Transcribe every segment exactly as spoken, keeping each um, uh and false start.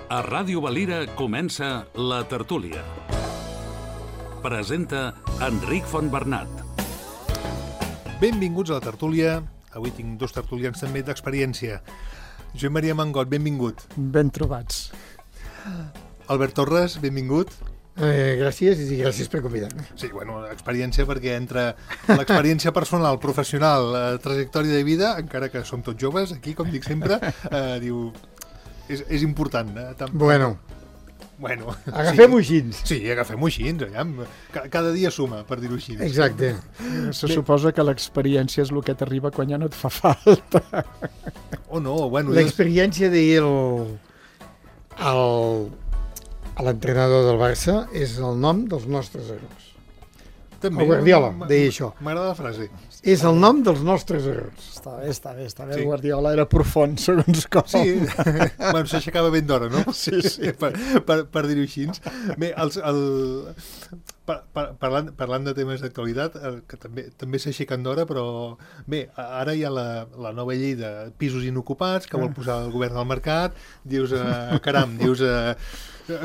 A Ràdio Valira comença La Tertúlia. Presenta Enric Fontbernat. Benvinguts a La Tertúlia. Avui tinc dos tertulians també d'experiència. Joan Maria Mangot, benvingut. Ben trobats. Albert Torres, benvingut. Eh, gràcies i gràcies per convidar-me. Sí, bueno, experiència perquè entre l'experiència personal, professional, la trajectòria de vida, encara que som tots joves, aquí, com dic sempre, eh, diu... És, és important. Eh? Tam... Bueno, bueno agafem-ho sí. així. Sí, agafem-ho així. Cada dia suma, per dir-ho així. Exacte. Se Bé. suposa que l'experiència és el que t'arriba quan ja no et fa falta. O no, bueno... L'experiència de dir el, el, a l'entrenador del Barça és el nom dels nostres errors. També, el Guardiola deia això. M'agrada la frase. És el nom dels nostres errors. Està bé, està bé, està bé. Sí. El Guardiola era profund, segons com. Sí, bueno, s'aixecava ben d'hora, no? Sí, sí. per per, per dir-ho així. Bé, els, el, par, par, parlant, parlant de temes d'actualitat, que també també s'aixequen d'hora, però bé, ara hi ha la, la nova llei de pisos inocupats que vol posar el govern al mercat. Dius, eh, caram, dius... Eh,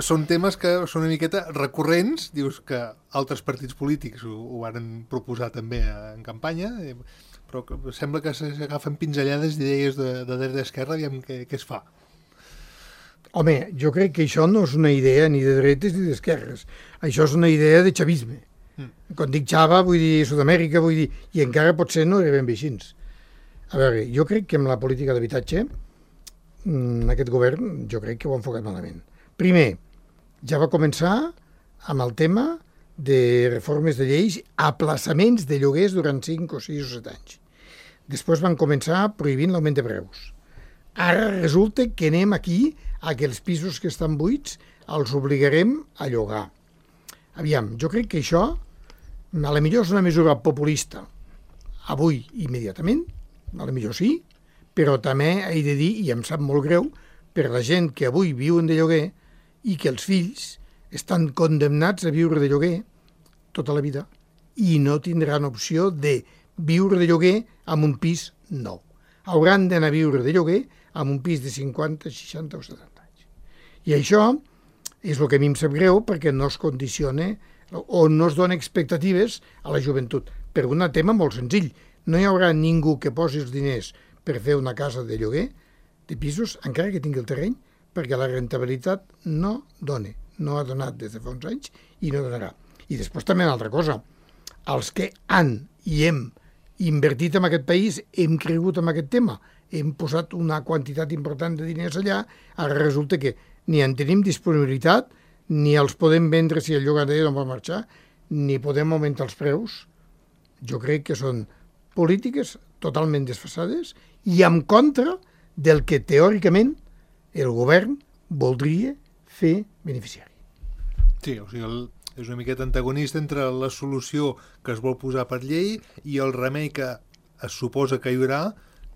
són temes que són una miqueta recurrents, dius que altres partits polítics ho, ho van proposar també en campanya, però que sembla que s'agafen pinzellades d'idees de, de dreta i esquerra, aviam què, què es fa. Home, jo crec que això no és una idea ni de dretes ni d'esquerres. Això és una idea de xavisme. Mm. Quan dic xava, vull dir Sud-amèrica, vull dir... I encara potser no era ben bé així. A veure, jo crec que amb la política d'habitatge, aquest govern, jo crec que ho ha enfocat malament. Primer, ja va començar amb el tema de reformes de lleis, aplaçaments de lloguers durant cinc o sis o set anys. Després van començar prohibint l'augment de preus. Ara resulta que anem aquí a que els pisos que estan buits els obligarem a llogar. Aviam, jo crec que això, a la millor és una mesura populista, avui immediatament, a la millor sí, però també he de dir, i em sap molt greu, per la gent que avui viuen de lloguer i que els fills estan condemnats a viure de lloguer tota la vida i no tindran opció de viure de lloguer amb un pis nou. Hauran d'anar a viure de lloguer amb un pis de cinquanta, seixanta o setanta anys. I això és el que a mi em sap greu perquè no es condiciona o no es dona expectatives a la joventut. Per un tema molt senzill. No hi haurà ningú que posi els diners per fer una casa de lloguer, de pisos, encara que tingui el terreny, perquè la rentabilitat no dona. No ha donat des de fa uns anys i no donarà. I després també una altra cosa. Els que han i hem invertit en aquest país, hem cregut en aquest tema, hem posat una quantitat important de diners allà, ara resulta que ni en tenim disponibilitat, ni els podem vendre si el llogater no va marxar, ni podem augmentar els preus. Jo crec que són polítiques totalment desfasades i en contra del que teòricament el govern voldria fer beneficiari. Sí, o sigui, el, és una miqueta antagonista entre la solució que es vol posar per llei i el remei que es suposa que hi haurà,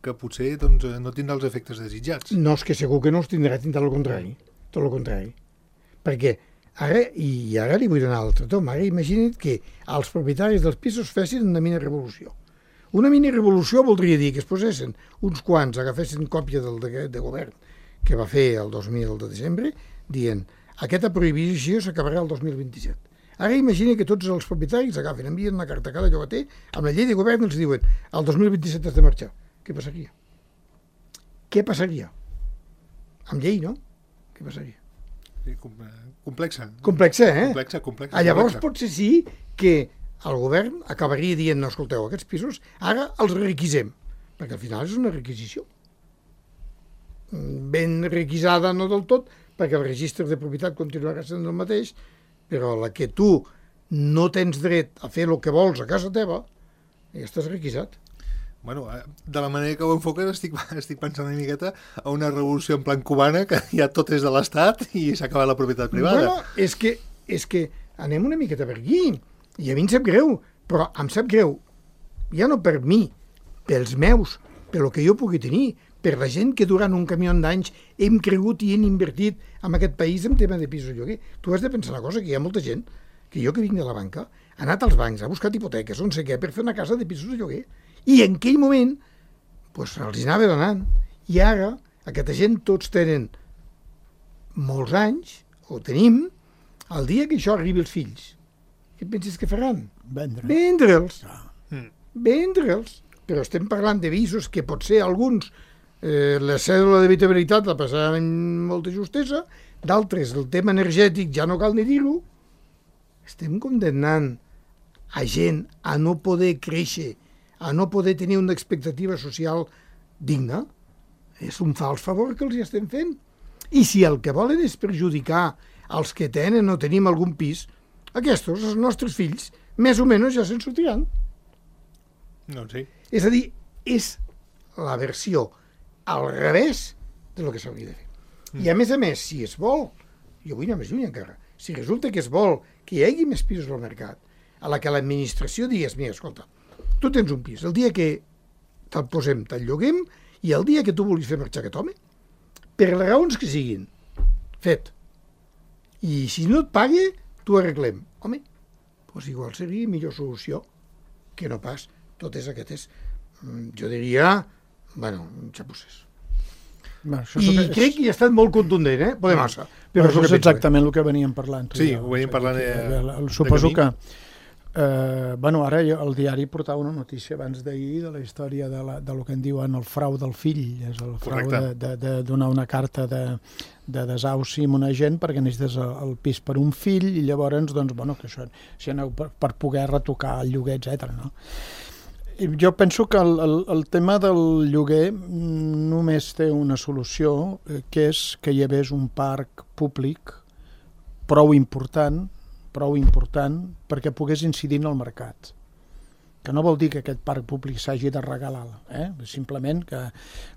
que potser doncs, no tindrà els efectes desitjats. No, és que segur que no els tindrà, tindrà el contrari. Tot el contrari. Perquè ara, i ara li vull donar l'altre tom, ara imagina't que els propietaris dels pisos fessin una mini revolució. Una mini revolució voldria dir que es posessin uns quants, agafessin còpia del decret de govern que va fer el dos mil de desembre, dient aquesta prohibició s'acabarà el dos mil vint-i-set. Ara imagina que tots els propietaris agafen, envien una carta a cada llogater amb la llei de govern i els diuen el dos mil vint-i-set has de marxar. Què passaria? Què passaria? Amb llei, no? Què passaria? Sí, complexa. Complexa, eh? Complexa, complexa. Ah, llavors complexa. potser sí que el govern acabaria dient, no, escolteu, aquests pisos ara els requisem, perquè al final és una requisició. Ben requisada, no del tot, perquè el registre de propietat continuarà sent el mateix, però la que tu no tens dret a fer el que vols a casa teva, ja estàs requisat. Bueno, de la manera que ho enfoques estic, estic pensant una miqueta a una revolució en plan cubana, que ja tot és de l'Estat i s'ha acabat la propietat privada. Bueno, és que, és que anem una miqueta per aquí, i a mi em sap greu, però em sap greu, ja no per mi, pels meus, per lo que jo pugui tenir, per la gent que durant un camió d'anys hem cregut i hem invertit en aquest país en tema de pisos de lloguer. Tu has de pensar una cosa, que hi ha molta gent, que jo que vinc de la banca, ha anat als bancs, ha buscat hipoteques, on sé què, per fer una casa de pisos de lloguer. I en aquell moment, doncs, els anava donant. I ara, aquesta gent tots tenen molts anys, ho tenim, el dia que això arribi als fills, què penses que faran? Vendre. Vendre'ls. Ah. Vendre'ls. Però estem parlant de visos que potser alguns eh, la cèdula d'habitabilitat la passaran amb molta justesa, d'altres el tema energètic ja no cal ni dir-ho. Estem condemnant a gent a no poder créixer, a no poder tenir una expectativa social digna. És un fals favor que els hi estem fent. I si el que volen és perjudicar els que tenen o tenim algun pis, aquests, els nostres fills, més o menys ja se'n sortiran. No, sí. És a dir, és la versió al revés de lo que s'hauria de fer. Mm. I a més a més, si es vol, jo vull anar més lluny encara, si resulta que es vol que hi hagi més pisos al mercat, a la que l'administració digués, mira, escolta, tu tens un pis, el dia que te'l posem, te'l lloguem, i el dia que tu vulguis fer marxar aquest home, per les raons que siguin, fet. I si no et pague, t'ho arreglem. Home, doncs igual seria millor solució que no pas totes aquestes, jo diria, bueno, xapusses. Bueno, això I és... crec que ha estat molt contundent, eh? Podem massa. Però això és exactament el que veníem parlant. Sí, ho veníem parlant de, Suposo de que... Eh, bueno, ara el diari portava una notícia abans d'ahir de la història de, la, de lo que en diuen el frau del fill, és el frau de, de, de donar una carta de, de desahuci a una gent perquè necessites el, el pis per un fill i llavors, doncs, bueno, que això, si aneu per, per poder retocar el lloguer, etcètera, no? I jo penso que el, el, el tema del lloguer només té una solució, eh, que és que hi hagués un parc públic prou important prou important perquè pogués incidir en el mercat. Que no vol dir que aquest parc públic s'hagi de regalar, eh? Simplement que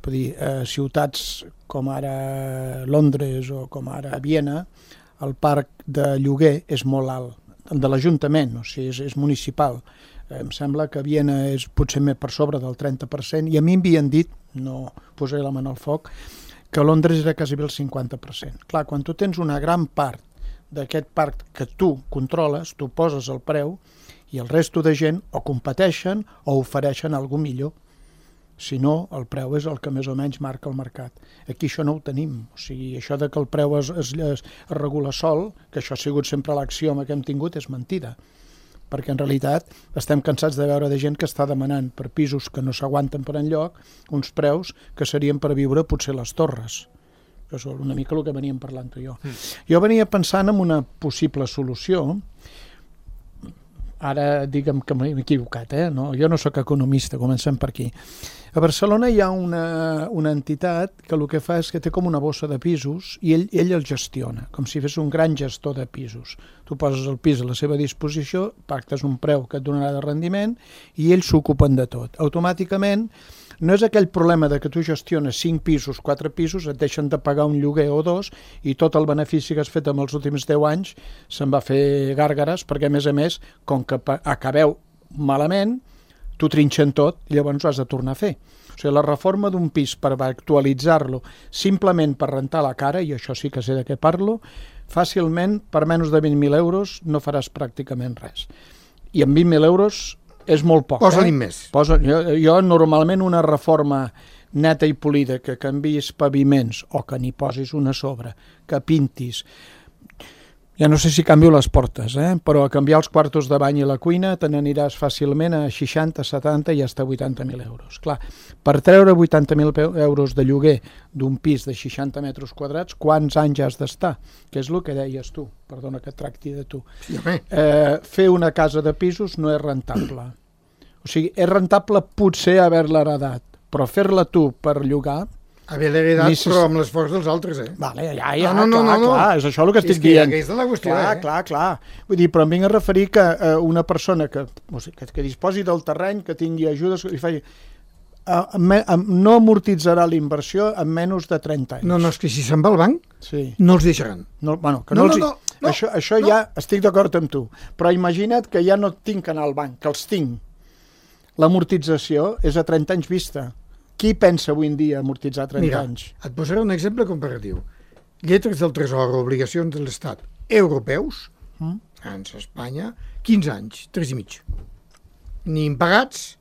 vull dir, eh, ciutats com ara Londres o com ara Viena, el parc de lloguer és molt alt, el de l'Ajuntament, o sigui, és, és municipal. Eh, em sembla que Viena és potser més per sobre del trenta per cent, i a mi m'havien dit, no posaré la mà al foc, que Londres era quasi bé el cinquanta per cent. Clar, quan tu tens una gran part d'aquest parc que tu controles, tu poses el preu i el resto de gent o competeixen o ofereixen alguna millor. Si no, el preu és el que més o menys marca el mercat. Aquí això no ho tenim. O sigui, això de que el preu es, es, es regula sol, que això ha sigut sempre l'axioma que hem tingut, és mentida. Perquè en realitat estem cansats de veure de gent que està demanant per pisos que no s'aguanten per enlloc uns preus que serien per viure potser les torres. Que és una mica el que veníem parlant tu i jo. Mm. Jo venia pensant en una possible solució. Ara digue'm que m'he equivocat, eh? No, jo no sóc economista, comencem per aquí. A Barcelona hi ha una, una entitat que el que fa és que té com una bossa de pisos i ell, ell el gestiona, com si fes un gran gestor de pisos. Tu poses el pis a la seva disposició, pactes un preu que et donarà de rendiment i ells s'ocupen de tot. Automàticament no és aquell problema de que tu gestiones cinc pisos, quatre pisos, et deixen de pagar un lloguer o dos i tot el benefici que has fet en els últims deu anys se'n va fer gàrgares perquè, a més a més, com que acabeu malament, t'ho trinxen tot i llavors ho has de tornar a fer. O sigui, la reforma d'un pis per actualitzar-lo simplement per rentar la cara, i això sí que sé de què parlo, fàcilment, per menys de vint mil euros, no faràs pràcticament res. I amb vint mil euros és molt poc. Posa-li eh? més. Posa, jo, jo normalment una reforma neta i polida, que canviïs paviments o que n'hi posis una a sobre, que pintis, ja no sé si canvio les portes, eh? Però a canviar els quartos de bany i la cuina te n'aniràs fàcilment a seixanta, setanta i fins a vuitanta mil euros. Clar, per treure vuitanta mil euros de lloguer d'un pis de seixanta metres quadrats, quants anys has d'estar? Que és el que deies tu, perdona que tracti de tu. Sí, home. Eh, fer una casa de pisos no és rentable. O sigui, és rentable potser haver-la heredat, però fer-la tu per llogar... Haver-la heredat, si... però amb l'esforç dels altres, eh? Vale, ja, ja, no, no, clar, no, no. clar, és això el que estic és que dient. Aquesta és la qüestió, clar, eh? clar, clar. Vull dir, però em vinc a referir que eh, una persona que, o sigui, que, que disposi del terreny, que tingui ajudes, i faci, eh, eh, no amortitzarà la inversió en menys de trenta anys. No, no, és que si se'n va al banc, sí. no els deixaran. No, bueno, que no, no, els... no, no, no, això això no. Ja estic d'acord amb tu, però imagina't que ja no tinc que anar al banc, que els tinc. L'amortització és a trenta anys vista. Qui pensa avui en dia amortitzar trenta Mira, anys? et posaré un exemple comparatiu. Lletres del Tresor, obligacions de l'Estat europeus, Mm? França, Espanya, quinze anys, tres i mig. Ni impagats,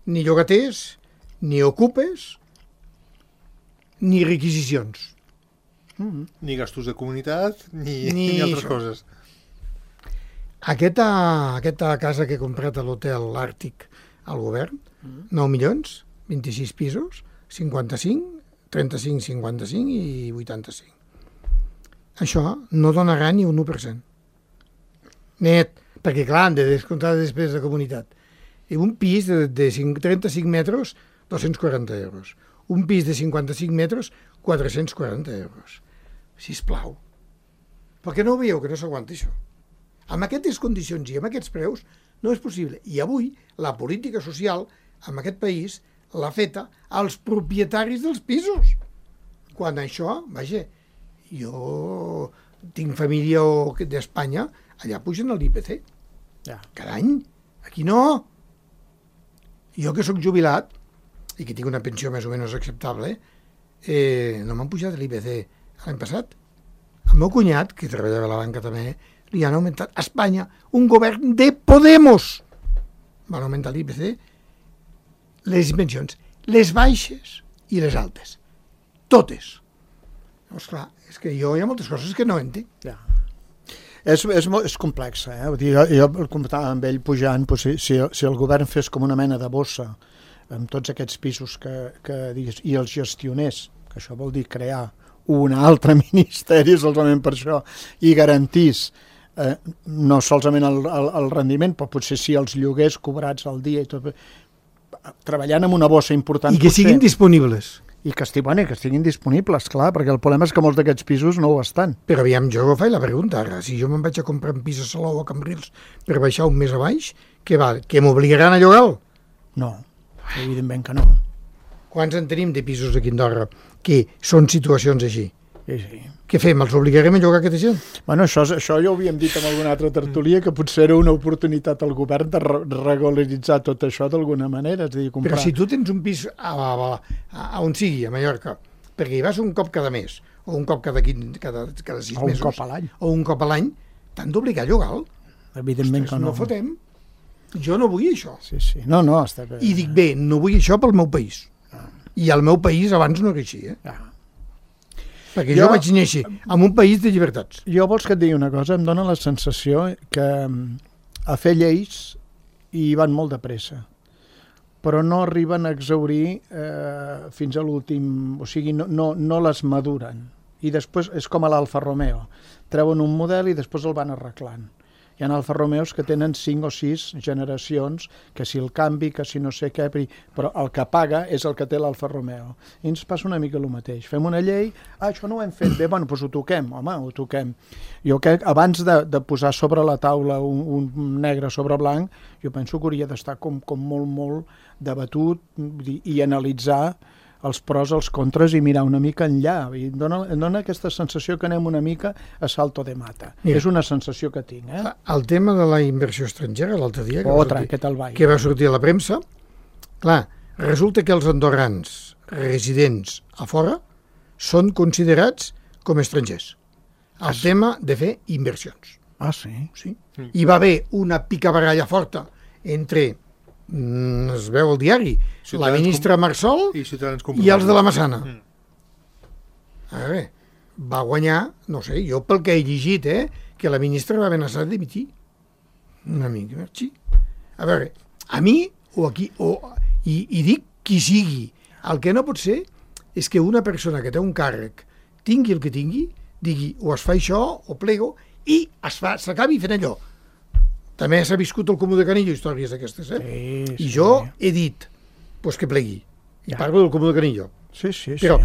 ni llogaters, ni ocupes, ni requisicions. Mm-hmm. Ni gastos de comunitat, ni, ni, ni altres això. coses. Aquesta, aquesta casa que he comprat a l'hotel Àrtic al govern, mm. nou milions, vint-i-sis pisos, cinquanta-cinc, trenta-cinc, cinquanta-cinc i vuitanta-cinc. Això no donarà ni un u per cent. Net, perquè clar, han de descomptar després de comunitat. I un pis de, de trenta-cinc metres, dos-cents quaranta euros. Un pis de cinquanta-cinc metres, quatre-cents quaranta euros. Sisplau. Per què no ho veieu, que no s'aguanta això? Amb aquestes condicions i amb aquests preus no és possible. I avui la política social en aquest país l'ha feta als propietaris dels pisos. Quan això, vaja, jo tinc família d'Espanya, allà pugen l'I P C. Ja. Cada any. Aquí no. Jo que sóc jubilat i que tinc una pensió més o menys acceptable, eh, no m'han pujat l'I P C l'any passat. El meu cunyat, que treballava a la banca també, li han augmentat a Espanya un govern de Podemos. Van augmentar l'I P C, les pensions, les baixes i les altes. Totes. Llavors, clar, és que jo hi ha moltes coses que no entenc. Ja. És, és, és complexa, eh? Vull dir, jo, jo el comptava amb ell pujant, doncs, si, si, si el govern fes com una mena de bossa amb tots aquests pisos que, que digues, i els gestionés, que això vol dir crear un altre ministeri solament per això, i garantís eh, no solament el, el, el rendiment, però potser sí els lloguers cobrats al dia i tot, treballant amb una bossa important. I que potser, siguin disponibles. I que, esti, bueno, que estiguin disponibles, clar, perquè el problema és que molts d'aquests pisos no ho estan. Però aviam, jo faig la pregunta ara. Si jo me'n vaig a comprar un pis a Salou o a Cambrils per baixar un mes a baix, què va? Que m'obligaran a llogar-lo? No, evidentment que no. Quants en tenim de pisos aquí a Andorra que són situacions així? Sí, sí. Què fem? Els obligarem a llogar aquesta gent? Bueno, això, això ja ho havíem dit en alguna altra tertúlia, que potser era una oportunitat al govern de re regularitzar tot això d'alguna manera. És a dir, comprar... Però si tu tens un pis a, a, a, a on sigui, a Mallorca, perquè hi vas un cop cada mes, o un cop cada, cada, cada sis o un mesos, cop a l'any, o un cop a l'any, t'han d'obligar a llogar-lo. Evidentment que no. No fotem. Jo no vull això. Sí, sí. No, no, està bé. I dic, bé, no vull això pel meu país. Ah. I el meu país abans no era així, eh? Ah. Perquè jo, jo vaig néixer en un país de llibertats. Jo vols que et digui una cosa? Em dóna la sensació que a fer lleis hi van molt de pressa, però no arriben a exaurir eh, fins a l'últim... O sigui, no, no, no les maduren. I després és com a l'Alfa Romeo. Treuen un model i després el van arreglant. Hi ha Alfa Romeos que tenen cinc o sis generacions, que si el canvi, que si no sé què, però el que paga és el que té l'Alfa Romeo. I ens passa una mica el mateix. Fem una llei, ah, això no ho hem fet bé, bueno, doncs ho toquem, home, ho toquem. Jo crec, abans de, de posar sobre la taula un, un negre sobre blanc, jo penso que hauria d'estar com, com molt, molt debatut i, i analitzar els pros, els contres i mirar una mica enllà. I dona, dona aquesta sensació que anem una mica a salto de mata. Mira, és una sensació que tinc. Eh? El tema de la inversió estrangera, l'altre dia, que, Otra, sortir, que, que va sortir a la premsa, clar, resulta que els andorrans residents a fora són considerats com estrangers. El ah, tema de fer inversions. Ah, sí? Sí. Mm. Hi va haver una picabaralla forta entre... es veu al diari, Ciutadans la ministra Marsol i, i els de la Massana. Mm. A veure, va guanyar, no sé, jo pel que he llegit, eh, que la ministra va amenaçar de dimitir. Una mica, merci. A veure, a mi, o aquí, o, i, i dic qui sigui, el que no pot ser és que una persona que té un càrrec tingui el que tingui, digui o es fa això, o plego, i s'acabi fent allò. També s'ha viscut el Comú de Canillo, històries d'aquestes, eh? Sí, sí. I jo he dit, pues que plegui. I ja. Parlo del Comú de Canillo. Sí, sí, sí. Però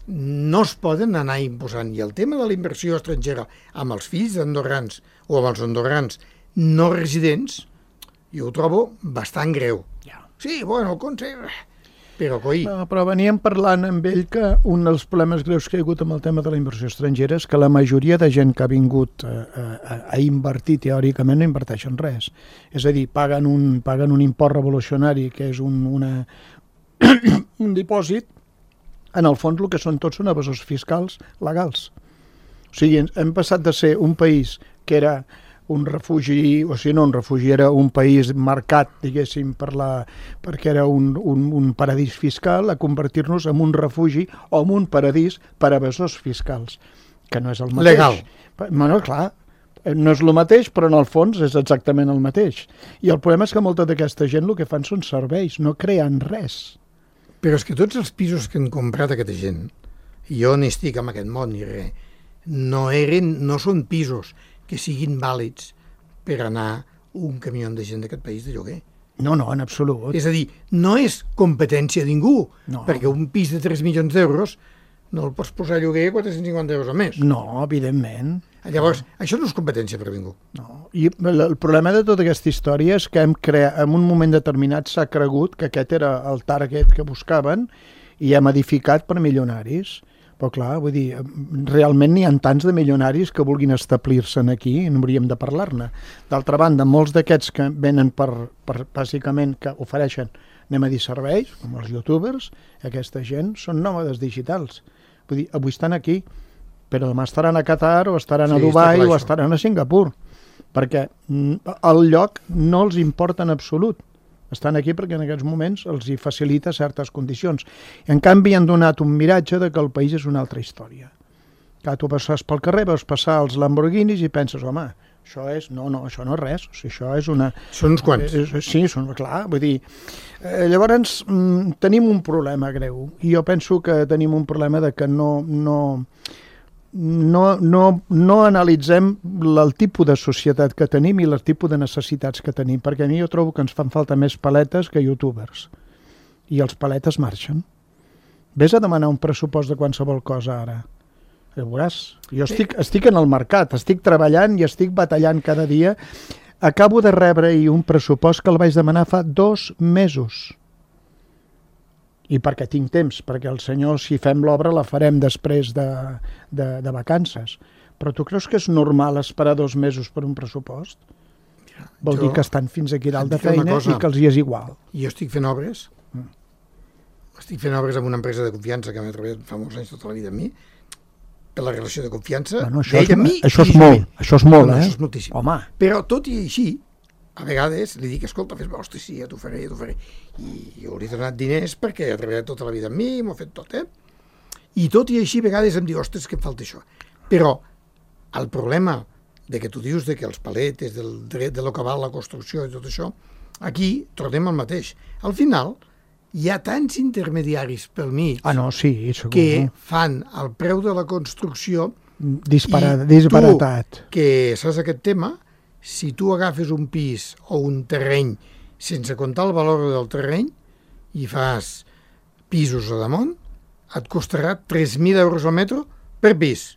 no es poden anar imposant. I el tema de la inversió estrangera amb els fills d'andorrans o amb els andorrans no residents, jo ho trobo bastant greu. Ja. Sí, bueno, el Consell... Però, coi... No, però veníem parlant amb ell que un dels problemes greus que hi ha hagut amb el tema de la inversió estrangera és que la majoria de gent que ha vingut a, a, a invertir teòricament no inverteixen res. És a dir, paguen un, paguen un import revolucionari que és un, una, un dipòsit, en el fons el que són tots són evasors fiscals legals. O sigui, hem passat de ser un país que era un refugi, o sigui, no un refugi, era un país marcat, diguéssim, per la, perquè era un, un, un paradís fiscal, a convertir-nos en un refugi o en un paradís per evasors fiscals. que no és el mateix. Legal. Bueno, clar, no és el mateix, però en el fons és exactament el mateix. I el problema és que molta d'aquesta gent el que fan són serveis, no creen res. Però és que tots els pisos que han comprat aquesta gent, i jo n'estic en aquest món ni res, no, eren, no són pisos que siguin vàlids per anar un camió de gent d'aquest país de lloguer. No, no, en absolut. És a dir, no és competència de ningú, No. perquè un pis de tres milions d'euros no el pots posar a lloguer quatre-cents cinquanta euros o més. No, evidentment. Llavors, això no és competència per ningú. No. I el, el problema de tota aquesta història és que hem creat, en un moment determinat s'ha cregut que aquest era el target que buscaven i hem edificat per milionaris. Però clar, vull dir, realment n'hi ha tants de milionaris que vulguin establir-se aquí i no hauríem de parlar-ne. D'altra banda, molts d'aquests que venen per, per, bàsicament, que ofereixen, anem a dir, serveis, com els youtubers, aquesta gent són nòmades digitals. Vull dir, avui estan aquí, però demà estaran a Qatar o estaran Sí, a Dubai està clar, o això. estaran a Singapur, perquè mm, el lloc no els importa en absolut. Estan aquí perquè en aquests moments els hi facilita certes condicions. En canvi, han donat un miratge de que el país és una altra història. Que tu passes pel carrer, veus passar els Lamborghinis i penses, home, això és... No, no, això no és res. O sigui, això és una... Són uns quants. Eh, sí, són, clar, vull dir... Eh, llavors, mm, tenim un problema greu. I jo penso que tenim un problema de que no... no No, no, no analitzem el tipus de societat que tenim i el tipus de necessitats que tenim, perquè a mi jo trobo que ens fan falta més paletes que youtubers. I els paletes marxen. Ves a demanar un pressupost de qualsevol cosa ara. Ja veuràs. Jo estic, estic en el mercat, estic treballant i estic batallant cada dia. Acabo de rebre ahir un pressupost que el vaig demanar fa dos mesos. I perquè tinc temps, perquè el senyor, si fem l'obra, la farem després de, de, de vacances. Però tu creus que és normal esperar dos mesos per un pressupost? Vol Jo dir que estan fins aquí dalt et de dic una feina cosa. i que els hi és igual. Jo estic fent obres, Mm. estic fent obres amb una empresa de confiança que m'ha treballat fa molts anys tota la vida amb mi, per la relació de confiança Bueno, això és, d'ell amb mi això i és jo amb molt, ell. això és molt, No, no, eh? això és moltíssim. Home, Però tot i així, a vegades li dic, escolta, fes-me, hosti, sí, ja t'ho faré, ja t'ho faré. I jo li he donat diners perquè ha treballat tota la vida amb mi, m'ho ha fet tot, eh? I tot i així, a vegades em diu, ostres, que em falta això. Però el problema de que tu dius de que els paletes, del dret de lo que val la construcció i tot això, aquí tornem al mateix. Al final, hi ha tants intermediaris pel mig ah no, sí, segur. que fan el preu de la construcció Disparat, i disparatat. tu, que saps aquest tema, si tu agafes un pis o un terreny sense comptar el valor del terreny i fas pisos a damunt, et costarà tres mil euros al metre per pis.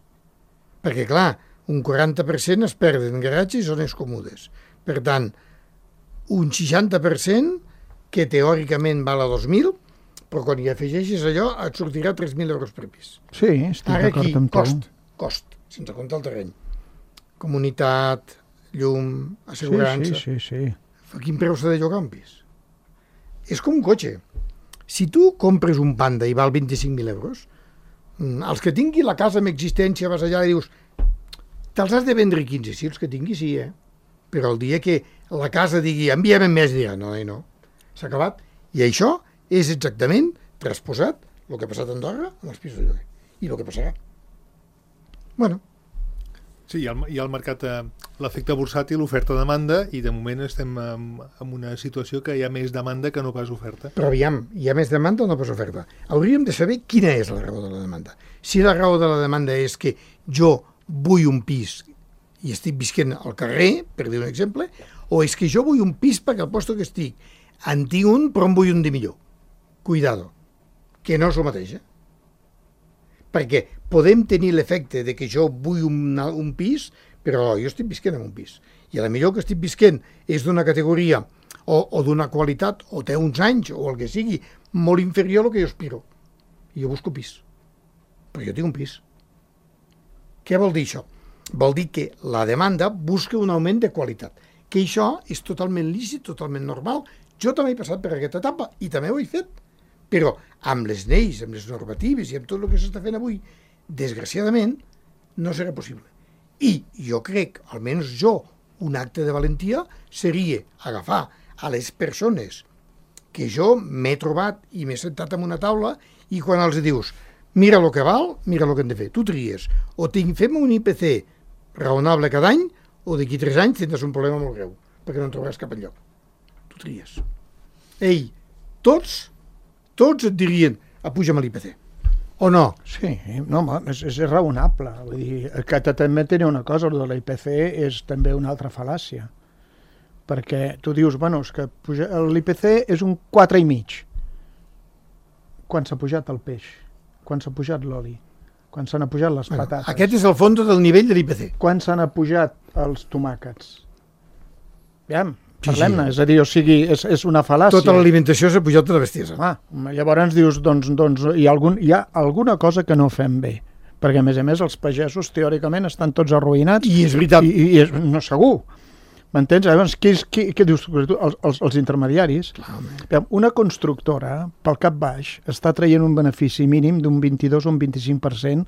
Perquè, clar, un quaranta per cent es perden en garatges i zones còmodes. Per tant, un seixanta per cent, que teòricament val a dos mil, però quan hi afegeixes allò et sortirà tres mil euros per pis. Sí, estic Ara aquí, d'acord amb tu. cost, cost, sense comptar el terreny. Comunitat, llum, Sí, assegurança. sí, sí, sí. A quin preu s'ha de llogar un pis? És com un cotxe. Si tu compres un Panda i val vint-i-cinc mil euros, mm, els que tingui la casa amb existència vas allà i dius te'ls has de vendre quinze, sí, els que tingui sí, eh? Però el dia que la casa digui envia'm més, dirà no, no, no, s'ha acabat. I això és exactament transposat el que ha passat a Andorra amb els pisos de lloguer i el que passarà. Bueno, Sí, hi ha el, hi ha el mercat, eh, l'efecte bursàtil, oferta-demanda, i de moment estem en, en una situació que hi ha més demanda que no pas oferta. però aviam, hi ha més demanda o no pas oferta? Hauríem de saber quina és la raó de la demanda. Si la raó de la demanda és que jo vull un pis i estic visquent al carrer, per dir un exemple, o és que jo vull un pis perquè al lloc que estic en tinc un, però en vull un de millor. Cuidado, que no és el mateix, eh? Perquè podem tenir l'efecte de que jo vull un, un pis, però jo estic visquent en un pis. I a la millor que estic visquent és d'una categoria o, o d'una qualitat, o té uns anys, o el que sigui, molt inferior al que jo aspiro. I jo busco pis. Però jo tinc un pis. Què vol dir això? Vol dir que la demanda busca un augment de qualitat. Que això és totalment lícit, totalment normal. Jo també he passat per aquesta etapa i també ho he fet. Però amb les lleis, amb les normatives i amb tot el que s'està fent avui, desgraciadament, no serà possible. I jo crec, almenys jo, un acte de valentia seria agafar a les persones que jo m'he trobat i m'he sentat en una taula i quan els dius, mira el que val, mira el que hem de fer. Tu tries. O tinc, fem un I P C raonable cada any, o d'aquí tres anys tindràs un problema molt greu, perquè no en trobaràs cap enlloc. Tu tries. Ei, tots, tots et dirien, apuja'm l'I P C. O no? Sí, no, home, és, és raonable. Vull dir, que també tenia una cosa, el de l'I P C és també una altra fal·làcia. Perquè tu dius, bueno, és que l'I P C és un quatre i mig. Quan s'ha pujat el peix? Quan s'ha pujat l'oli? Quan s'han pujat les bueno, patates? Aquest és el fons del nivell de l'I P C. Quan s'han pujat els tomàquets? Aviam, Sí, parlem-ne, sí. és a dir, o sigui, és, és una fal·làcia. Tota l'alimentació s'ha pujat de la bestiesa. Home, llavors dius, doncs, doncs hi, ha algun, hi ha alguna cosa que no fem bé, perquè a més a més els pagesos teòricament estan tots arruïnats. I és veritat. I, i és, no, segur. M'entens? Llavors, qui, qui, què dius? Els, els, els intermediaris. Clar, una constructora, pel cap baix, està traient un benefici mínim d'un vint-i-dos o un vint-i-cinc per cent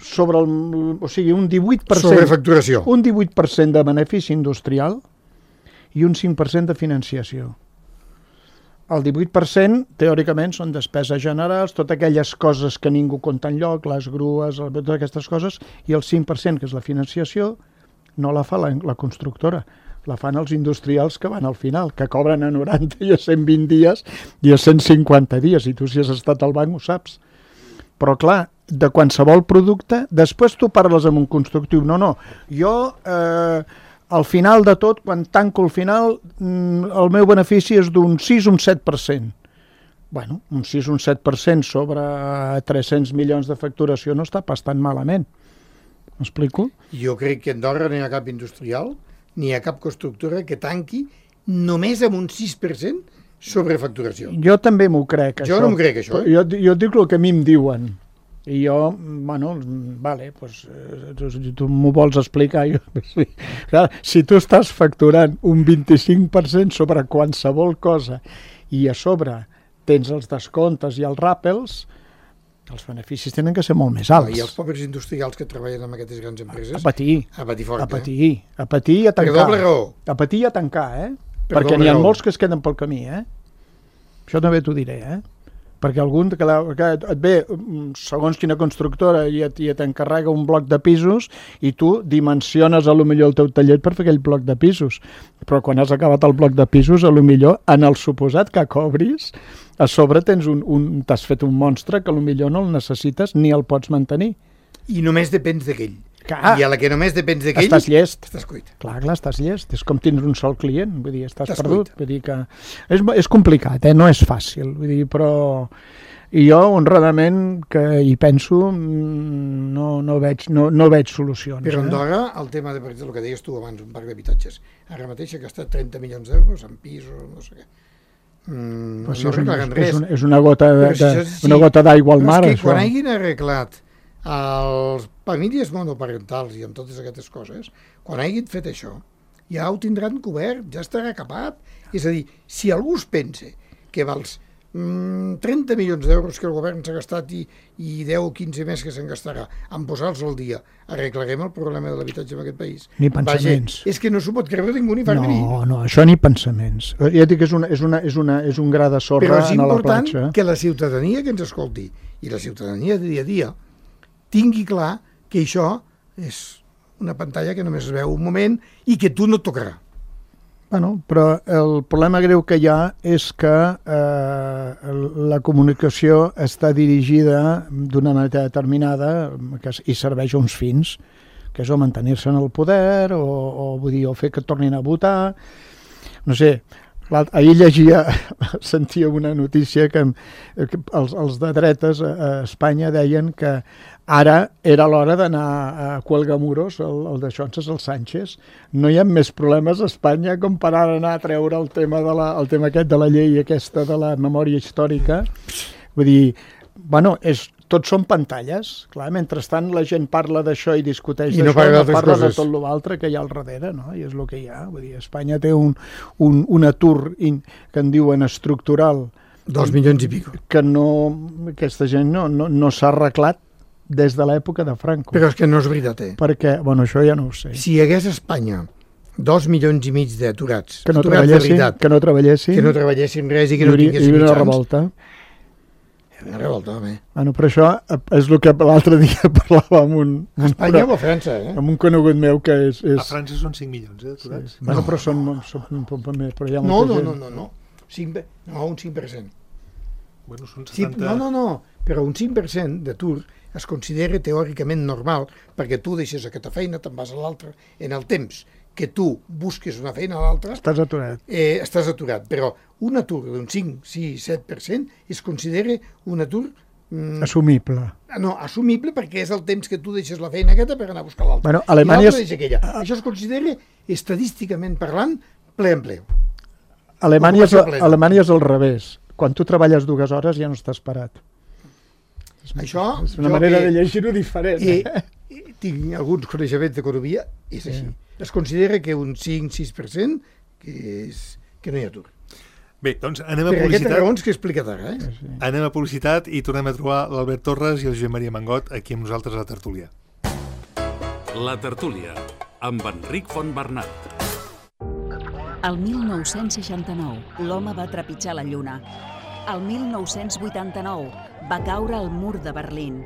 sobre el... O sigui, un divuit per cent... Sobrefacturació. Un divuit per cent de benefici industrial i un cinc per cent de financiació. El divuit per cent, teòricament, són despeses generals, totes aquelles coses que ningú compta enlloc, les grues, totes aquestes coses, i el cinc per cent, que és la financiació, no la fa la, la constructora, la fan els industrials que van al final, que cobren a noranta i a cent vint dies i a cent cinquanta dies, i tu si has estat al banc ho saps. Però clar, de qualsevol producte, després tu parles amb un constructiu, no, no, jo... Eh, al final de tot, quan tanco el final, el meu benefici és d'un sis o un set per cent. Bueno, un sis o un set per cent sobre tres-cents milions de facturació no està pas tan malament. M'explico? Jo crec que a Andorra no hi ha cap industrial, ni hi ha cap constructora que tanqui només amb un sis per cent sobre facturació. Jo també m'ho crec, jo això. no m'ho crec, això. Eh? Jo, jo dic el que a mi em diuen. I jo, bueno, vale, pues, tu, tu m'ho vols explicar? Jo, sí. Clar, si tu estàs facturant un vint-i-cinc per cent sobre qualsevol cosa i a sobre tens els descomptes i els ràpels, els beneficis tenen que ser molt més alts. I els pobres industrials que treballen en aquestes grans empreses... A patir. A patir fort, a patir, eh? A patir i a tancar. Per doble raó. A patir i a tancar, eh? Per Perquè n'hi ha raó. molts que es queden pel camí, eh? Això també t'ho diré, eh? Perquè algun que, la, que et ve, segons quina constructora, i et, i et encarrega un bloc de pisos i tu dimensiones a lo millor el teu taller per fer aquell bloc de pisos. Però quan has acabat el bloc de pisos, a lo millor, en el suposat que cobris, a sobre tens un, un, t'has fet un monstre que a lo millor no el necessites ni el pots mantenir. I només depens d'aquell. Clar. I a la que només depens d'aquell... Estàs llest. Estàs cuit. Clar, clar, estàs llest. És com tindre un sol client. Vull dir, estàs, Estàs perdut. cuit. Vull dir que... És, és complicat, eh? No és fàcil. Vull dir, però... I jo, honradament, que hi penso, no, no, veig, no, no veig solucions. Però eh? Andorra, el tema de, per exemple, el que deies tu abans, un parc d'habitatges, ara mateix ha gastat trenta milions d'euros en pisos, no sé què. Mm, Pues no és, un, arreglen és, res. un, és una gota de, Però si de, això sí, una gota d'aigua al però mar, és que això. quan hagin arreglat els famílies monoparentals i amb totes aquestes coses, quan hagin fet això, ja ho tindran cobert, ja estarà acabat. És a dir, si algú es pensa que vals mm, trenta milions d'euros que el govern s'ha gastat i, i deu o quinze més que se'n gastarà en posar-los al dia, arreglarem el problema de l'habitatge en aquest país? Ni pensaments. Vaja, és que no s'ho pot creure ningú ni fer venir. No, no, això ni pensaments. Ja dic que és, una, és, una, és, una, és un gra de sorra Però és a la important platja. que la ciutadania que ens escolti i la ciutadania de dia a dia tingui clar que això és una pantalla que només es veu un moment i que tu no et tocarà. Bueno, però el problema greu que hi ha és que eh, la comunicació està dirigida d'una manera determinada que, i serveix a uns fins, que és o mantenir-se en el poder o, o, vull dir, o fer que tornin a votar. No sé, ahir llegia, sentia una notícia que, que els, els de dretes a, a Espanya deien que ara era l'hora d'anar a Cuelgamuros, el, el de Xonses, el Sánchez. No hi ha més problemes a Espanya com per ara anar a treure el tema, de la, el tema aquest de la llei aquesta de la memòria històrica. Vull dir, bueno, és, tots són pantalles. Clar, mentrestant la gent parla d'això i discuteix I no d'això, parla no parla coses. de tot l'altre que hi ha al darrere, no? I és el que hi ha. Vull dir, Espanya té un, un, un atur in, que en diuen estructural. Dos milions i pico. Que no, aquesta gent no, no, no s'ha arreglat des de l'època de Franco. Però és que no és veritat, eh? Perquè, bueno, això ja no ho sé. Si hi hagués a Espanya dos milions i mig d'aturats, Que no aturats de treballessin, veritat, que no treballessin, que no treballessin res i que hi no hauria, hi tinguessin hauria una mitjans, revolta. Una revolta, home. Bueno, però això és el que l'altre dia parlava amb un... A Espanya o a França, eh? Amb un conegut meu que és... és... A França són cinc milions, eh, aturats? Sí. Bueno, però són, són un poc més, però hi ha No, molta no, gent. no, no, no. cinc, no, un cinc per cent. Bueno, són Sí, setanta... no, no, no, però un cinc per cent d'atur es considera teòricament normal perquè tu deixes aquesta feina, te'n vas a l'altra. En el temps que tu busques una feina a l'altra, Estàs aturat. eh, estàs aturat. Però un atur d'un cinc, sis, set per cent es considera un atur mm, Assumible. no, assumible perquè és el temps que tu deixes la feina aquesta per anar a buscar l'altra. Bueno, I Alemanya l'altra és- deixa aquella. Això es considera, estadísticament parlant, ple empleo. Alemanya és, Ocupació plena. Alemanya és al revés. Quan tu treballes dues hores ja no estàs parat. Això, És una jo manera que- de llegir-ho diferent. I, Eh? i tinc alguns coneixements d'economia, és així. Es considera que un cinc sis per cent que, és, que no hi ha atur. Bé, doncs anem a Per aquestes publicitat. raons que he explicat ara. Eh? Sí. Anem a publicitat i tornem a trobar l'Albert Torres i el Josep Maria Mangot aquí amb nosaltres a la tertúlia. La tertúlia, amb Enric Fontbernat. El mil nou-cents seixanta-nou, l'home va trepitjar la lluna. El mil nou-cents vuitanta-nou, va caure el mur de Berlín.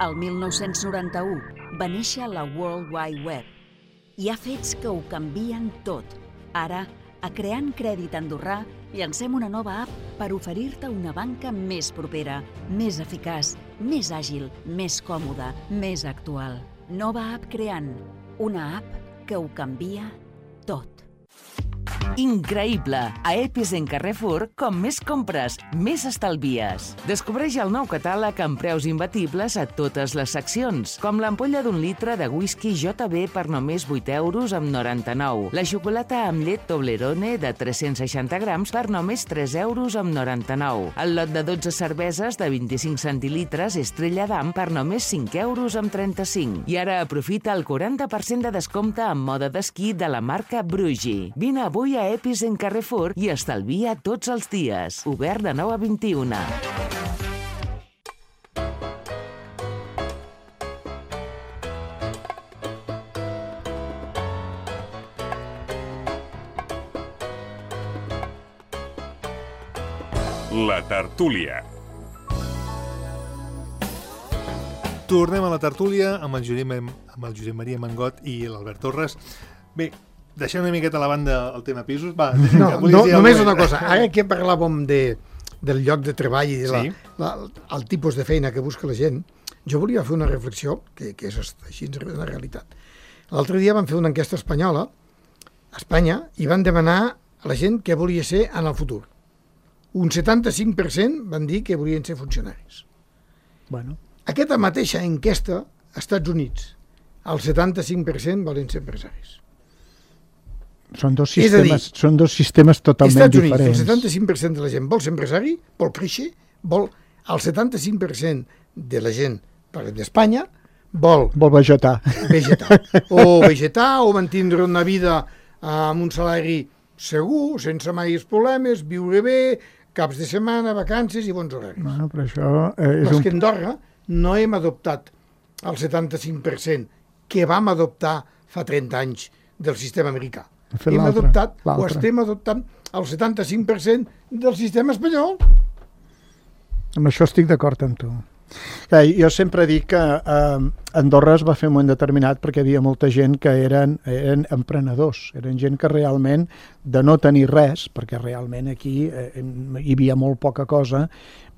El mil nou-cents noranta-u, va néixer la World Wide Web. Hi ha fets que ho canvien tot. Ara, a Creant Crèdit Andorrà, llancem una nova app per oferir-te una banca més propera, més eficaç, més àgil, més còmoda, més actual. Nova app Creant, una app que ho canvia tot. Increïble! A Epis en Carrefour, com més compres, més estalvies. Descobreix el nou catàleg amb preus imbatibles a totes les seccions, com l'ampolla d'un litre de whisky J B per només vuit euros amb noranta-nou, la xocolata amb llet Toblerone de tres-cents seixanta grams per només tres euros amb noranta-nou, el lot de dotze cerveses de vint-i-cinc centilitres Estrella d'Am per només cinc euros amb trenta-cinc. I ara aprofita el quaranta per cent de descompte en moda d'esquí de la marca Brugi. Vine avui a Epis en Carrefour i estalvia tots els dies. Obert de nou a vint-i-una. La tertúlia. Tornem a la tertúlia amb el Josep, amb el Josep Maria Mangot i l'Albert Torres. Bé, deixem una miqueta a la banda el tema pisos. Va, No, que volies no, dir només alguna una cosa. Ara que parlàvem de, del lloc de treball i de la, Sí. la, el tipus de feina que busca la gent, jo volia fer una reflexió, que, que és així en la realitat. L'altre dia van fer una enquesta espanyola, a Espanya, i van demanar a la gent què volia ser en el futur. Un setanta-cinc per cent van dir que volien ser funcionaris. Bueno, Aquesta mateixa enquesta, als Estats Units, el setanta-cinc per cent volen ser empresaris. són dos És a dir, sistemes, són dos sistemes Als totalment Estats Units, el diferents. setanta-cinc per cent de la gent vol ser empresari, vol créixer, vol... El setanta-cinc per cent de la gent, parlem d'Espanya, vol Vol vegetar. vegetar. O vegetar, o mantenir una vida amb un salari segur, sense mai problemes, viure bé, caps de setmana, vacances i bons horaris. Bueno, però això eh, és Però és un... que a Andorra no hem adoptat el setanta-cinc per cent que vam adoptar fa trenta anys del sistema americà. Hem fet Hem l'altre, adoptat, o l'altre. estem adoptant, el setanta-cinc per cent del sistema espanyol. Amb això estic d'acord amb tu. Eh, jo sempre dic que eh, Andorra es va fer en un moment determinat perquè hi havia molta gent que eren, eren emprenedors, eren gent que realment, de no tenir res, perquè realment aquí eh, hi havia molt poca cosa,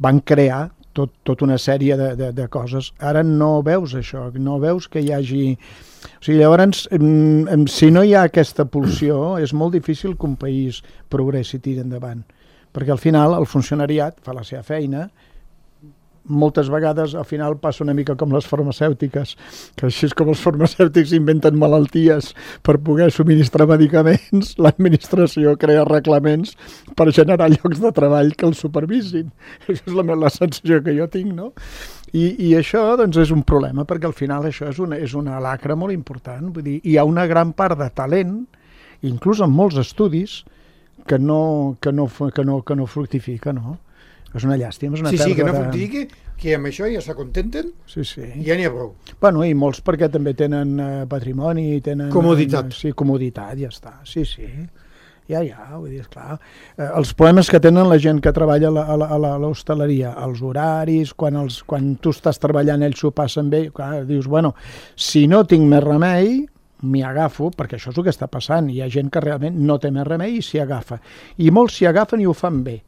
van crear tot, tota una sèrie de, de, de coses. Ara no veus això, no veus que hi hagi... O sigui, llavors, em, em, si no hi ha aquesta pulsió, és molt difícil que un país progressi i tiri endavant. Perquè al final el funcionariat fa la seva feina, moltes vegades al final passa una mica com les farmacèutiques, que així és com els farmacèutics inventen malalties per poder subministrar medicaments, l'administració crea reglaments per generar llocs de treball que els supervisin. Això és la, la sensació que jo tinc, no? I, i això doncs, és un problema, perquè al final això és una, és una lacra molt important. Vull dir, hi ha una gran part de talent, inclús en molts estudis, que no, que no, que no, que no fructifica, no? És una llàstima, és una Sí, sí, que no pèrdua de- fructifique, que amb això ja s'acontenten Sí, sí. i ja n'hi ha prou. Bueno, i molts perquè també tenen eh, patrimoni, tenen... Comoditat. Eh, sí, comoditat, ja està, sí, sí. Ja, ja, vull dir, esclar. Eh, els problemes que tenen la gent que treballa a la- a la- a l'hostaleria, els horaris, quan, els, quan tu estàs treballant ells s'ho passen bé, clar, dius, bueno, si no tinc més remei, m'hi agafo, perquè això és el que està passant. Hi ha gent que realment no té més remei i s'hi agafa. I molts s'hi agafen i ho fan bé.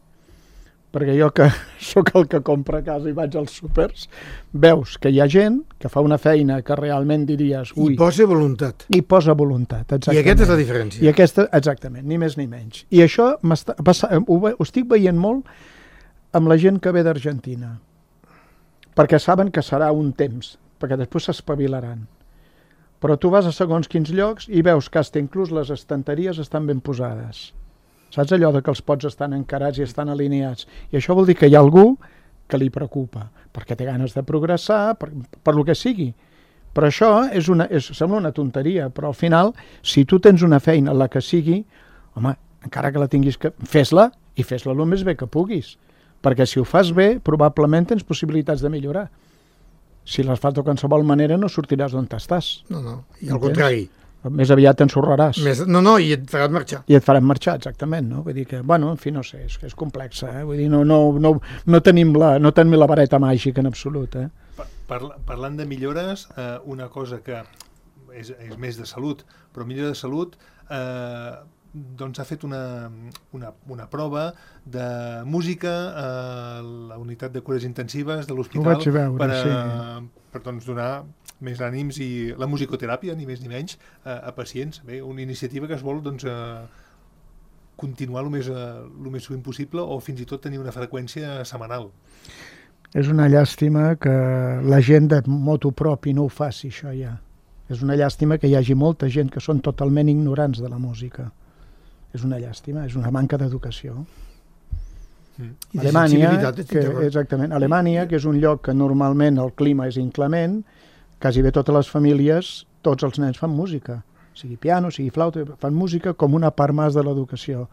Perquè jo que sóc el que compra a casa i vaig als súpers, veus que hi ha gent que fa una feina que realment diries... Ui, I posa voluntat. i posa voluntat, exactament. I aquesta és la diferència. I aquesta, exactament, ni més ni menys. I això m'està passa- ho, ve- ho estic veient molt amb la gent que ve d'Argentina, perquè saben que serà un temps, perquè després s'espavilaran. Però tu vas a segons quins llocs i veus que hasta inclús les estanteries estan ben posades. Saps allò de que els pots estan encarats i estan alineats? I això vol dir que hi ha algú que li preocupa, perquè té ganes de progressar, per, per lo que sigui. Però això és una, és, sembla una tonteria, però al final, si tu tens una feina, la que sigui, home, encara que la tinguis que... Fes-la, i fes-la el més bé que puguis. Perquè si ho fas bé, probablement tens possibilitats de millorar. Si les fas de qualsevol manera, no sortiràs d'on estàs. No, no, i al Entens? contrari. Més aviat t'ensorraràs. Més, no, no, i et faràs marxar. I et faran marxar, exactament, no? Vull dir que, bueno, en fi, no sé, és, és complexa, eh? Vull dir, no, no, no, no, tenim la, no tenim la vareta màgica en absolut, eh? Parla, parlant de millores, eh, una cosa que és, és més de salut, però millor de salut, eh, doncs ha fet una, una, una prova de música a la unitat de cures intensives de l'hospital. Ho vaig veure, per, a, sí. per doncs, donar més ànims i la musicoteràpia, ni més ni menys, a, a pacients. Bé, una iniciativa que es vol doncs, a, continuar el més, a, el més sovint possible o fins i tot tenir una freqüència setmanal. És una llàstima que la gent de moto propi no ho faci, això ja. És una llàstima que hi hagi molta gent que són totalment ignorants de la música. És una llàstima, és una manca d'educació. Mm. I de Alemanya, sensibilitat, que, estic exactament, Alemanya, que és un lloc que normalment el clima és inclement, quasi bé totes les famílies, tots els nens fan música, sigui piano, sigui flauta, fan música com una part més de l'educació.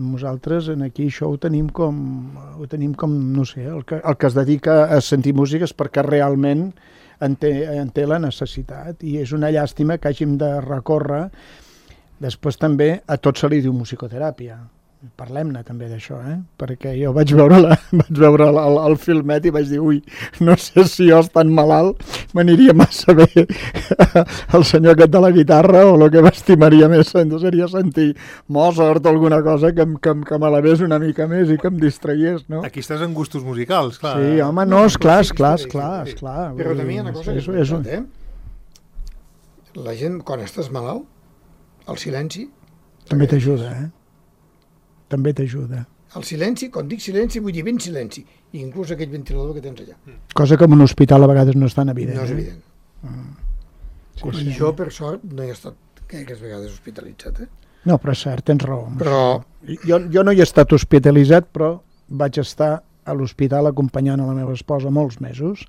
Nosaltres en aquí això ho tenim com, ho tenim com no sé, el que, el que es dedica a sentir música és perquè realment en té, en té la necessitat, i és una llàstima que hàgim de recórrer. Després també a tot se li diu musicoteràpia. Parlem-ne també d'això, eh? Perquè jo vaig veure, la, vaig veure el, el, el filmet i vaig dir, ui, no sé si jo estant malalt m'aniria massa bé el senyor aquest de la guitarra, o el que m'estimaria més seria sentir Mozart o alguna cosa que, que, que m'elevés una mica més i que em distraiés, no? Aquí estàs en gustos musicals, clar. Sí, home, no, esclar, esclar, esclar, esclar. Però també hi ha una cosa que és, és veritat, eh? La gent, quan estàs malalt, el silenci... També t'ajuda, eh? També t'ajuda. El silenci, quan dic silenci, vull dir ben silenci, i inclús aquell ventilador que tens allà. Cosa que en un hospital a vegades no és tan evident. No és eh? evident. Mm. Sí, I sí. jo, per sort, no he estat gaires vegades hospitalitzat, eh? No, però és cert, tens raó. Però Jo, jo no hi he estat hospitalitzat, però vaig estar a l'hospital acompanyant a la meva esposa molts mesos,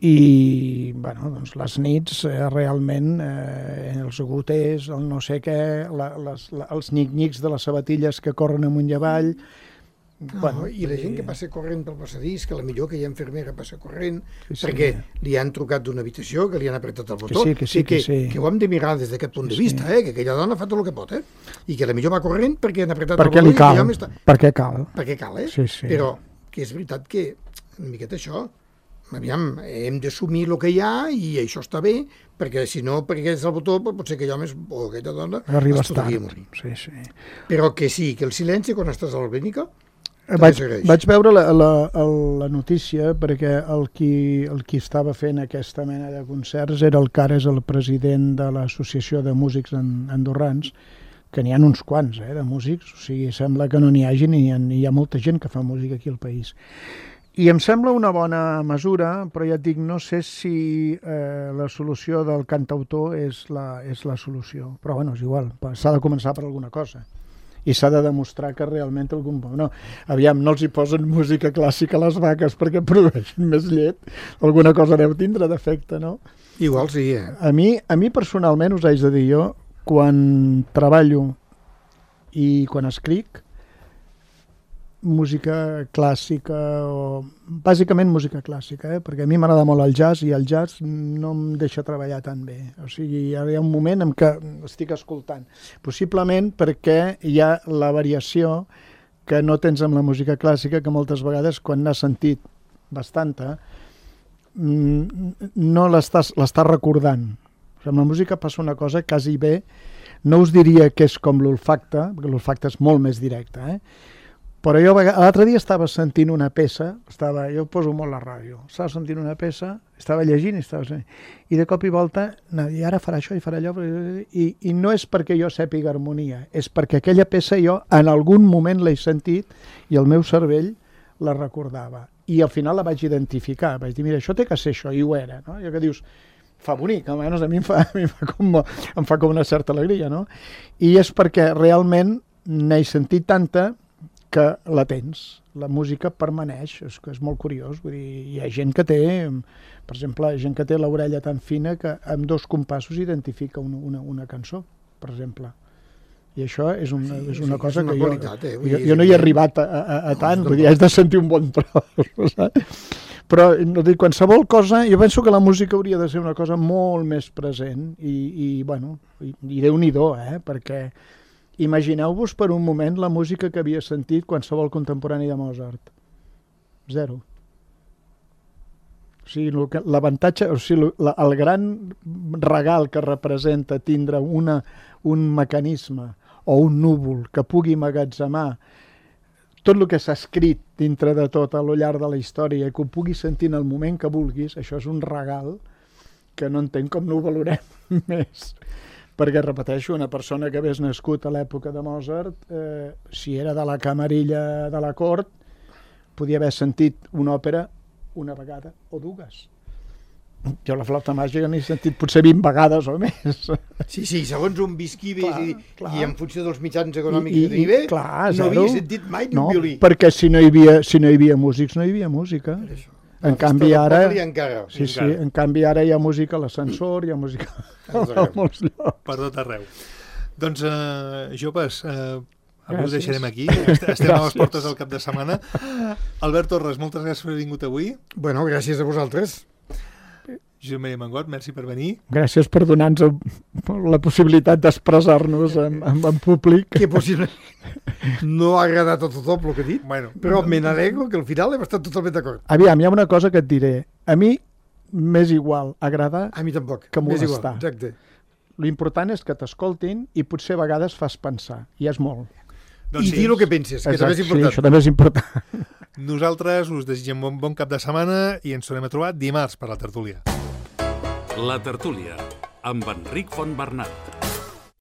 i bueno, doncs les nits eh, realment eh, els goters, el no sé què, la, les, la, els nic-nics de les sabatilles que corren amunt i avall. no, Bueno, i la gent i- que passa corrent pel passadís, que la millor que hi ha infermera passa corrent, Sí, sí. perquè li han trucat d'una habitació, que li han apretat el botó, sí, que sí, que sí. que ho hem de mirar des d'aquest punt de Sí, vista, sí. eh? Que aquella dona ha fet tot el que pot, eh? I que la millor va corrent perquè han apretat perquè el botó li i que cal, allò està... perquè cal. perquè cal, eh? Sí, sí. Però que és veritat que una miqueta això, aviam, hem d'assumir el que hi ha i això està bé, perquè si no, perquè és el botó, potser aquell home o aquella dona Arribes es podria tard. morir. Sí, sí. Però que sí, que el silenci quan estàs a la clínica també Vaig, s'agraeix. vaig veure la, la, el- la notícia perquè el qui, el qui estava fent aquesta mena de concerts era el que ara és el president de l'Associació de Músics en, Andorrans, que n'hi ha uns quants, eh, de músics, o sigui, sembla que no n'hi hagi ni hi ha, ni hi ha molta gent que fa música aquí al país. I em sembla una bona mesura, però ja et dic, no sé si eh, la solució del cantautor és la, és la solució. Però bueno, és igual, s'ha de començar per alguna cosa. I s'ha de demostrar que realment algun... No, aviam, no els hi posen música clàssica a les vaques perquè produeixen més llet. Alguna cosa deu tindre d'efecte, no? Igual sí, eh? A mi, a mi personalment, us haig de dir jo, quan treballo i quan escric, música clàssica, o bàsicament música clàssica, eh? Perquè a mi m'agrada molt el jazz i el jazz no em deixa treballar tan bé. O sigui, hi ha un moment en què estic escoltant. Possiblement perquè hi ha la variació que no tens amb la música clàssica, que moltes vegades quan n'has sentit bastanta no l'estàs l'estàs recordant. O sigui, amb la música passa una cosa quasi bé, no us diria que és com l'olfacte, perquè l'olfacte és molt més directe, eh? Però jo l'altre dia estava sentint una peça, estava, jo poso molt la ràdio, estava sentint una peça, estava llegint i estava sentint, i de cop i volta, i ara farà això i farà allò, i, i no és perquè jo sàpiga harmonia, és perquè aquella peça jo en algun moment l'he sentit i el meu cervell la recordava. I al final la vaig identificar, vaig dir, mira, això té que ser això, i ho era, no? I que dius, fa bonic, almenys a mi em fa, a mi em fa, com, em fa com una certa alegria, no? I és perquè realment n'he sentit tanta que la tens, la música permaneix, és que és molt curiós, vull dir, hi ha gent que té, per exemple, gent que té l'orella tan fina que amb dos compassos identifica una, una, una cançó, per exemple. I això és una, sí, és una sí, cosa és una que qualitat, jo, eh? jo, jo no hi he arribat a, a, a tant, vull dir, has de sentir un bon tros, saps? Però no dic, qualsevol cosa, jo penso que la música hauria de ser una cosa molt més present i, i bueno, i, i Déu-n'hi-do, eh? Perquè imagineu-vos per un moment la música que havia sentit qualsevol contemporani de Mozart. Zero. O sigui, l'avantatge, o sigui, el gran regal que representa tindre una, un mecanisme o un núvol que pugui emmagatzemar tot el que s'ha escrit dintre de tot a lo llarg de la història i que ho puguis sentir en el moment que vulguis, això és un regal que no entenc com no ho valorem més. Perquè, repeteixo, una persona que hagués nascut a l'època de Mozart, eh, si era de la camarilla de la cort, podia haver sentit una òpera una vegada o dues. Jo la flauta màgica n'he sentit potser vint vegades o més. Sí, sí, segons on visqui bé i, clar. i en funció dels mitjans econòmics I, que tenia bé, clar, no zero. havia sentit mai ni no, un violí. Perquè si no hi havia, si no hi havia músics, no hi havia música. En canvi, ara, encara, sí, sí, encara. en canvi ara hi ha música a l'ascensor, hi ha música a molts llocs. Per tot arreu. Doncs, uh, joves, uh, avui ho deixarem aquí. Estem Gràcies. a les portes del cap de setmana. Albert Torres, moltes gràcies per haver vingut avui. Bueno, gràcies a vosaltres. Josep Maria Mangot, merci per venir. Gràcies per donar-nos la possibilitat d'expressar-nos en, en, en públic. Que possible no ha agradat a tothom el que he dit, Bueno, però me n'alegro que al final hem estat totalment d'acord. Aviam, hi ha una cosa que et diré. A mi m'és igual agradar A mi tampoc. que M'és molestar. igual, exacte. L'important és que t'escoltin i potser a vegades fas pensar, i és molt. doncs I dir el que penses, que també és Sí, important. això també és important. nosaltres us desitgem bon, bon cap de setmana i ens tornem a trobar dimarts per la tertúlia. La tertúlia, amb Enric Fontbernat.